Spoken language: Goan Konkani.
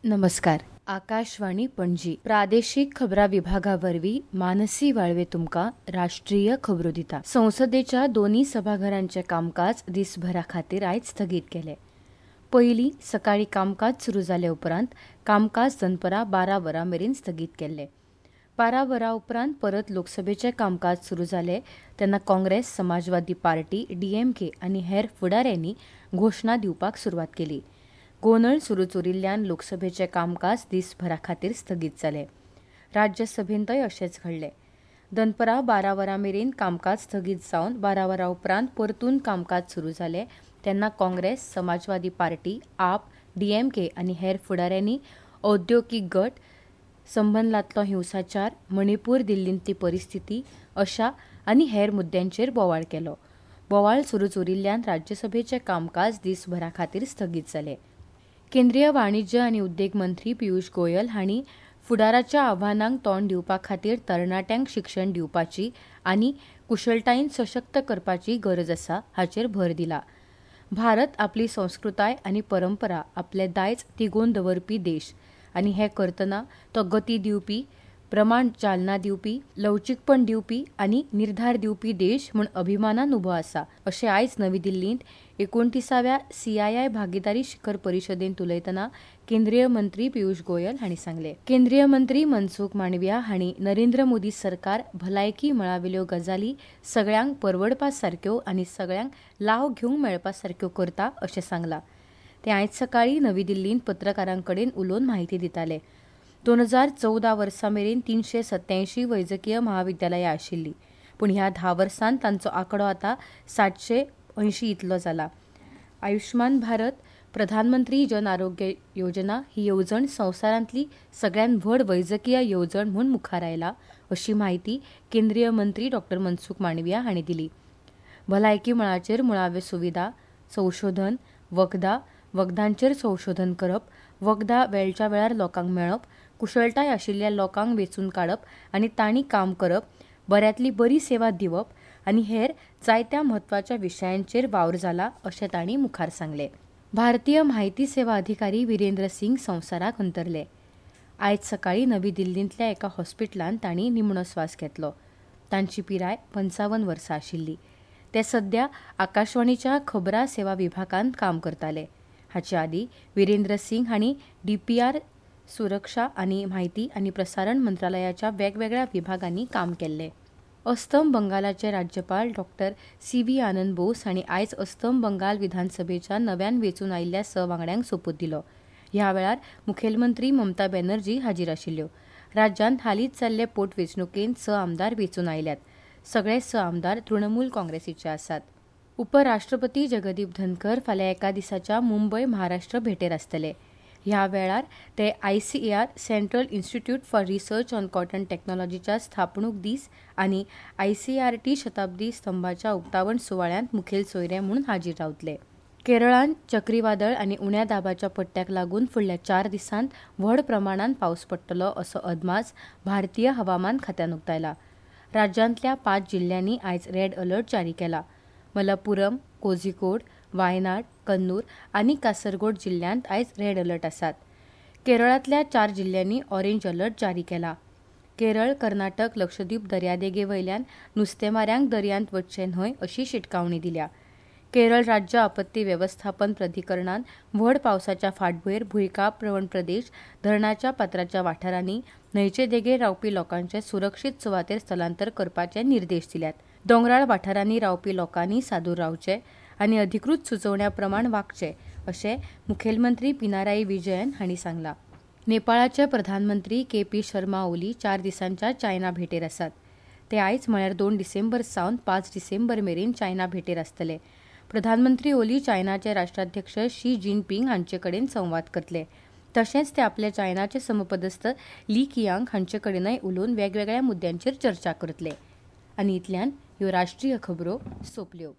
नमस्कार. आकाशवाणी पणजी प्रादेशीक खबरां विभागा वरवीं मानसी वाळवे तुमकां राष्ट्रीय खबरो दिता. संसदेच्या दोनूय सभाघरांचें कामकाज दिसभरा खातीर आयज स्थगीत केलें. पयलीं सकाळीं कामकाज सुरू जाले उपरांत कामकाज दनपरां 12 वरां मेरेन स्थगीत केल्लें. 12 वरां उपरांत परत लोकसभेचें कामकाज सुरू जालें तेन्ना काँग्रेस, समाजवादी पार्टी, डीएमके आनी हेर फुडाऱ्यांनी घोशणा दिवपाक सुरवात केली. गोंदळ सुरूच उरिल्ल्यान लोकसभेचें कामकाज दिसभरा खातीर स्थगीत जालें. राज्यसभेंतय अशेंच घडलें. दनपरां 12 वरां मेरेन कामकाज स्थगीत जावन 12 वरां उपरांत परतून कामकाज सुरू जालें तेन्ना काँग्रेस, समाजवादी पार्टी, आप, डीएमके आनी हेर फुडाऱ्यांनी औद्योगीक गट संबंदांतलो हिंसाचार, मणिपूर दिल्लींतली परिस्थिती अशा आनी हेर मुद्द्यांचेर बोवाळ केलो. बोवाळ सुरूच उरिल्ल्यान राज्यसभेचें कामकाज दिसभरा खातीर स्थगीत जालें. केंद्रीय वाणिज्य आनी उद्देग मंत्री पियुष गोयल हांणी फुडाराच्या आव्हानांक तोंड दिवपा खातीर तरणाट्यांक शिक्षण दिवपाची आनी कुशळटायेन सशक्त करपाची गरज आसा हाचेर भर दिला. भारत आपली संस्कृताय आनी परंपरा आपलें दायज तिगोवन दवरपी देश आनी हें करतना तो गती दिवपी, प्रमाण चालना दिवपी, लवचीकपण दिवपी आनी निर्धार दिवपी देश म्हूण अभिमानान उबो आसा अशें आयज नवी दिल्लींत 29व्या सीआयआय भागीदारी शिखर परिशदेंत उलयतना केंद्रीय मंत्री पियुष गोयल हांणी सांगलें. केंद्रीय मंत्री मनसुख मांडविया हांणी नरेंद्र मोदी सरकार भलायकी मळावेल्यो गजाली सगळ्यांक परवडपा सारक्यो आनी सगळ्यांक लाव घेवंक मेळपा सारक्यो करता अशें सांगलां. ते आयज सकाळीं नवी दिल्लींत पत्रकारां कडेन उलोवन म्हायती दिताले. 2014 वर्सा मेरेन 387 वैजकीय महाविद्यालयां आशिल्लीं, पूण ह्या 10 वर्सांत तांचो आंकडो आतां 780 इतलो जाला. आयुष्मान भारत प्रधानमंत्री जन आरोग्य योजना ही येवजण संवसारांतली सगळ्यांत व्हड वैजकीय येवजण म्हूण मुखार आयला अशी म्हायती केंद्रीय मंत्री डॉ मनसुख मांडविया हांणी दिली. भलायकी मळाचेर मुळाव्यो सुविधा, संशोधन, वखदां, वखदांचेर संशोधन करप, वखदां वेळच्या वेळार लोकांक मेळप, कुशळटाय आशिल्ल्या लोकांक वेंचून काडप आनी तांणी काम करप, बऱ्यांतली बरी सेवा दिवप आनी हेर जायत्या म्हत्वाच्या विशयांचेर वावर जाला अशें तांणी मुखार सांगलें. भारतीय म्हायती सेवा अधिकारी विरेंद्र सिंग संवसाराक अंतरले. आयज सकाळीं नवी दिल्लींतल्या एका हॉस्पिटलांत तांणी निमणो स्वास घेतलो. तांची पिराय 55 वर्सां आशिल्ली. ते सध्या आकाशवाणीच्या खबरां सेवा विभागांत काम करताले. हाचे आदीं विरेंद्र सिंग हांणी डीपीआर, सुरक्षा आनी म्हायती आनी प्रसारण मंत्रालयाच्या वेगवेगळ्या विभागांनी काम केल्लें. अस्तम बंगालाचे राज्यपाल डॉ सी.व्ही. आनंद बोस हांणी आयज अस्तम बंगाल विधानसभेच्या नव्यान वेंचून आयिल्ल्या 6 वांगड्यांक सोपूत दिलो. ह्या वेळार मुखेलमंत्री ममता बॅनर्जी हाजीर आशिल्ल्यो. राज्यांत हालींच जाल्ले पोटवेंचणुकेंत 6 आमदार वेंचून आयल्यात. सगळे 6 आमदार तृणमूल काँग्रेसीचे आसात. उपराष्ट्रपती जगदीप धनखर फाल्यां एका दिसाच्या मुंबय महाराष्ट्र भेटेर आसतले. ह्या वेळार ते ICAR central institute for research on cotton टेक्नॉलॉजीच्या स्थापणूक दीस आनी आयसीआरटी शताब्दी स्तंभाच्या उक्तावण सुवाळ्यांत मुखेल सोयरे म्हूण हाजीर रावतले. केरळांत चक्रीवादळ आनी उण्या दाबाच्या पट्ट्याक लागून फुडल्या 4 दिसांत व्हड प्रमाणांत पावस पडटलो असो अदमास भारतीय हवामान खात्यान उक्तायला. राज्यांतल्या 5 जिल्ल्यांनी आयज रेड अलर्ट जारी केला. मलप्पुरम, कोझिकोड, वायनाड, कन्नूर आनी कासरगोड जिल्ल्यांत आयज रेड अलर्ट आसात. केरळांतल्या 4 जिल्ल्यांनी ऑरेंज अलर्ट जारी केला. केरळ, कर्नाटक, लक्षद्वीप दर्यादेगे वयल्यान नुस्तेमाऱ्यांक दर्यांत वचचें न्हय अशी शिटकावणी दिल्या. केरळ राज्य आपत्ती वेवस्थापन प्राधिकरणान व्हड पावसाच्या फाटभुंयेर भुंयकांप प्रवण प्रदेश, धरणाच्या पात्राच्या वाठारांनी न्हंयचे देगेर रावपी लोकांचे सुरक्षीत सुवातेर स्थलांतर करपाचे निर्देश दिल्यात. दोंगराळ वाठारांनी रावपी लोकांनी सादूर रावचें आनी अधिकृत सुचोवण्या प्रमाण वागचें अशें मुखेलमंत्री पिनाराई विजयन हांणी सांगलां. नेपाळाचे प्रधानमंत्री के पी शर्मा ओली 4 दिसांच्या चायना भेटेर आसात. ते आयज म्हळ्यार 2 डिसेंबर सावन 5 डिसेंबर मेरेन चायना भेटेर आसतले. प्रधानमंत्री ओली चायनाचे राष्ट्राध्यक्ष शी जिनपिंग हांचे कडेन संवाद करतले. तशेंच ते आपल्या चायनाचे समपदस्थ ली कियांग हांचे कडेनय उलोवन वेगवेगळ्या मुद्द्यांचेर चर्चा करतले. आनी इतल्यान ह्यो राष्ट्रीय खबरो सोंपल्यो.